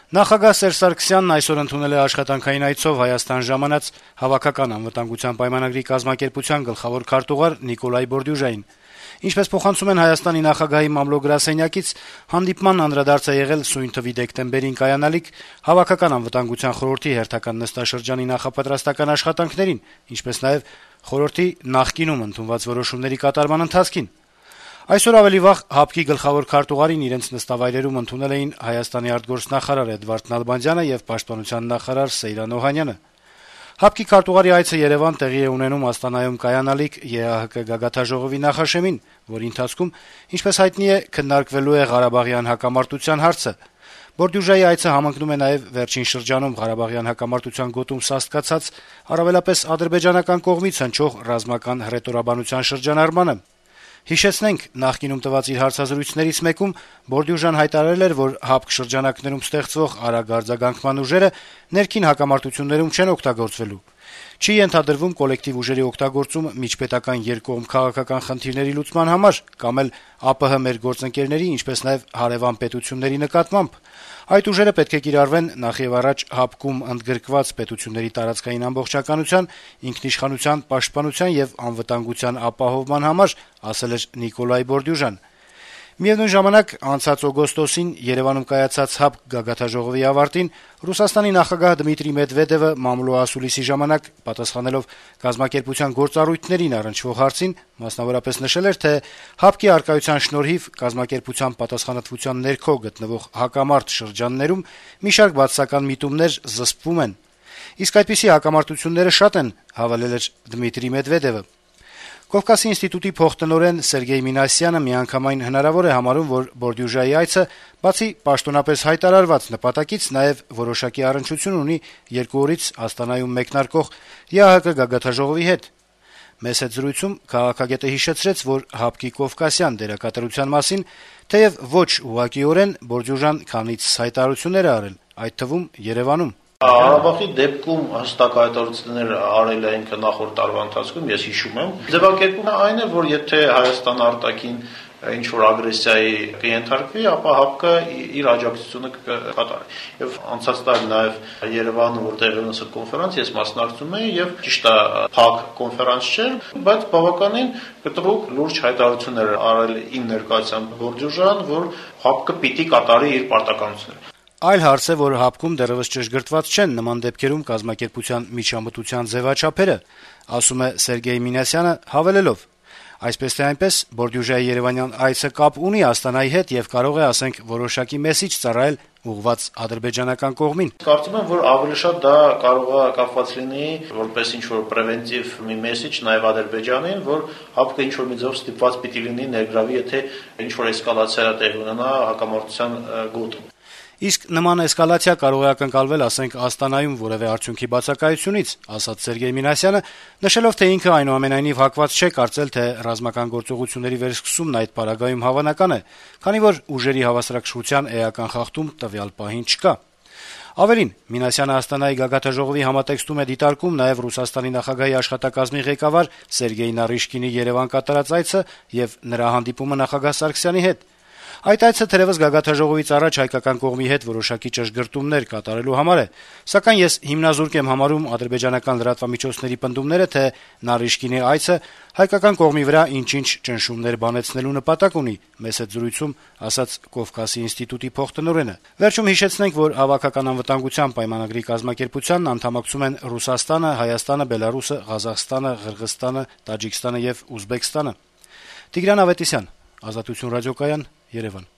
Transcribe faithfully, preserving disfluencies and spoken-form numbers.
Նախագահ Սերժ Սարգսյանն այսօր ընդունել է աշխատանքային այցով Հայաստան ժամանած Հավաքական անվտանգության պայմանագրի կազմակերպության գլխավոր քարտուղար Նիկոլայ Բորդյուժային։ Ինչպես փոխանցում են Հայաստանի նախագահի մամլո-գրասենյակից, հանդիպման անդրադարձ է եղել սույն թվի դեկտեմբերին կայանալիք Հավաքական անվտանգության խորհրդի հերթական նստաշրջանի նախապատրաստական աշխատանքներին, ինչպես նաեւ խորհրդի նախկինում ընդունված որոշումների կատարման ընթացքին։ Այսօր ավելի վաղ ՀԱՊԿ-ի գլխավոր քարտուղարին իրենց նստավայրերում ընդունել էին Հայաստանի արտգործնախարար Էդվարդ Նալբանդյանը եւ պաշտպանության նախարար Սեյրան Օհանյանը։ ՀԱՊԿ-ի քարտուղարի այցը Երեւան տեղի է ունենում Աստանայում կայանալիք ԵԱՀԿ գագաթաժողովի նախաշեմին, որի ընթացքում, ինչպես հայտնի է, քննարկվելու է Ղարաբաղյան հակամարտության հարցը։ Բորդյուժայի այցը համընկնում է նաեւ վերջին շրջանում Ղարաբաղյան հակամարտության գոտում սաստկացած, առավելապես ադրբեջանական կողմից հնչող ռազմական հռետորաբանության շրջանառմանը։ Հիշեցնենք, նախկինում տված իր հարցազրույցներից մեկում Բորդյուժան հայտարարել էր, որ ՀԱՊԿ շրջանակներում ստեղծվող արագ արձագանքման ուժերը ներքին հակամարտություններում չեն օգտագործվելու։ Չի ենթադրվում կոլեկտիվ ուժերի օգտագործումը միջպետական երկկողմ քաղաքական խնդիրների լուծման համար կամ էլ ԱՊՀ մեր գործընկերների, ինչպես նաեւ հարեւան պետությունների նկատմամբ։ Այդ ուժերը պետք է կիրառվեն նախեւառաջ ՀԱՊԿ-ում ընդգրկված պետությունների տարածքային ամբողջականության, ինքնիշխանության, պաշտպանության եւ անվտանգության ապահովման համար, ասել էր Նիկոլայ Բորդյուժան։ Միևնույն ժամանակ, անցած օգոստոսին Երեւանում կայացած ՀԱՊԿ գագաթաժողովի ավարտին Ռուսաստանի նախագահ Դմիտրի Մեդվեդևը մամլո ասուլիսի ժամանակ պատասխանելով կազմակերպության գործառույթներին առնչվող հարցին, մասնավորապես նշել էր, թե ՀԱՊԿ-ի արկայության շնորհիվ կազմակերպության պատասխանատվության ներքո գտնվող հակամարտ շրջաններում մի շարք բացասական միտումներ զսպվում են։ Իսկ այդպիսի հակամարտությունները շատ են, հավելել էր Դմիտրի Մեդվեդևը։ Կովկասի ինստիտուտի փոխտնօրեն Սերգեյ Մինասյանը միանգամայն հնարավոր է համարում, որ Բորդյուժայի այցը բացի պաշտոնապես հայտարարված նպատակից նաեւ որոշակի առնչություն ունի երկու օրից Աստանայում մեկնարկող ԵԱՀԿ գագաթաժողովի հետ։ Մեծ հետ զրույցում քաղաքագետը հիշեցրեց, որ ՀԱՊԿ-ի կովկասյան դերակատարության մասին թեեւ ոչ ուղղակիորեն Բորդյուժան քանից հայտարարություններ է արել, այդ թվում Երեւանում։ Ղարաբաղի դեպքում հստակ հայտարարություններ արել է ինքը նախորդ տարվա ընթացքում, ես հիշում եմ։ Ձևակերպումը այն է, որ եթե Հայաստան արտաքին ինչ որ ագրեսիայի կենթարկվի, ապա ՀԱՊԿ-ը իր աջակցությունը կկատարի։ Եվ անցած տարի նաեւ Երևանում, որտեղ ունեցա կոնֆերանս, ես մասնակցում էի եւ ճիշտ է, փակ կոնֆերանս չէր, բայց բավականին կտրուկ լուրջ հայտարարություններ արել իմ ներկայությամբ Բորդյուժան, որ ՀԱՊԿ-ը պիտի կատարի իր պարտականությունները։ Այլ հարց է, որ ՀԱՊԿ-ում դեռեւս ճշգրտված չեն նման դեպքերում կազմակերպության միջամտության ձեւաչափերը, ասում է Սերգեյ Մինասյանը, հավելելով. Այսպես թե այնպես, Բորդյուժայի երևանյան այցը կապ ունի Աստանայի հետ եւ կարող է, ասենք, որոշակի մեսիջ ծառայել ուղղված ադրբեջանական կողմին։ Կարծում եմ, որ ավելի շատ դա կարող է կապված լինի որպես ինչ որ պրևենտիվ մի մեսիջ նաեւ Ադրբեջանին, որ ՀԱՊԿ-ը ինչ որ մի ձև ստիպված պիտի լինի ներգրավի, եթե ինչ որ էսկալացիա տեղի ունենա հակամարտության գոտում։ Իսկ նման էսկալացիա կարող է ակնկալվել, ասենք, Աստանայում որևէ արդյունքի բացակայությունից, ասաց Սերգեյ Մինասյանը, նշելով, թե ինքը այնուամենայնիվ հակված չէ կարծել, թե ռազմական գործողությունների վերսկսումն այդ պարագայում հավանական է, քանի որ ուժերի հավասարակշռության էական խախտում տվյալ պահին չկա։ Ավելին, Մինասյանը Աստանայի գագաթաժողովի համատեքստում է դիտարկում նաեւ Ռուսաստանի նախագահի աշխատակազմի ղեկավար Սերգեյ Նարիշկինի Երեւան կատարած այցը եւ նրա հանդիպումը նախագահ Սարգսյանի հետ։ Այդ այցը թերևս գագաթաժողովից առաջ հայկական կողմի հետ որոշակի ճշգրտումներ կատարելու համար է, սակայն ես հիմնազուրկ եմ համարում ադրբեջանական լրատվամիջոցների պնդումները, թե Նարիշկինի այցը հայկական կողմի վրա ինչ-ինչ ճնշումներ բանեցնելու նպատակ ունի, մեծ հետ զրույցում ասաց Կովկասի ինստիտուտի փոխտնօրենը։ Վերջում հիշեցնենք, որ Հավաքական անվտանգության պայմանագրի կազմակերպությանն անդամակցում են Ռուսաստանը, Հայաստանը, Բելարուսը, Ղազախստանը, Ղրղըզստանը, Տաջիկստանը եւ Ուզբեկստանը։ Տիգրան Ավետիսյան, Ազատություն ռադիոկայան, Երևան։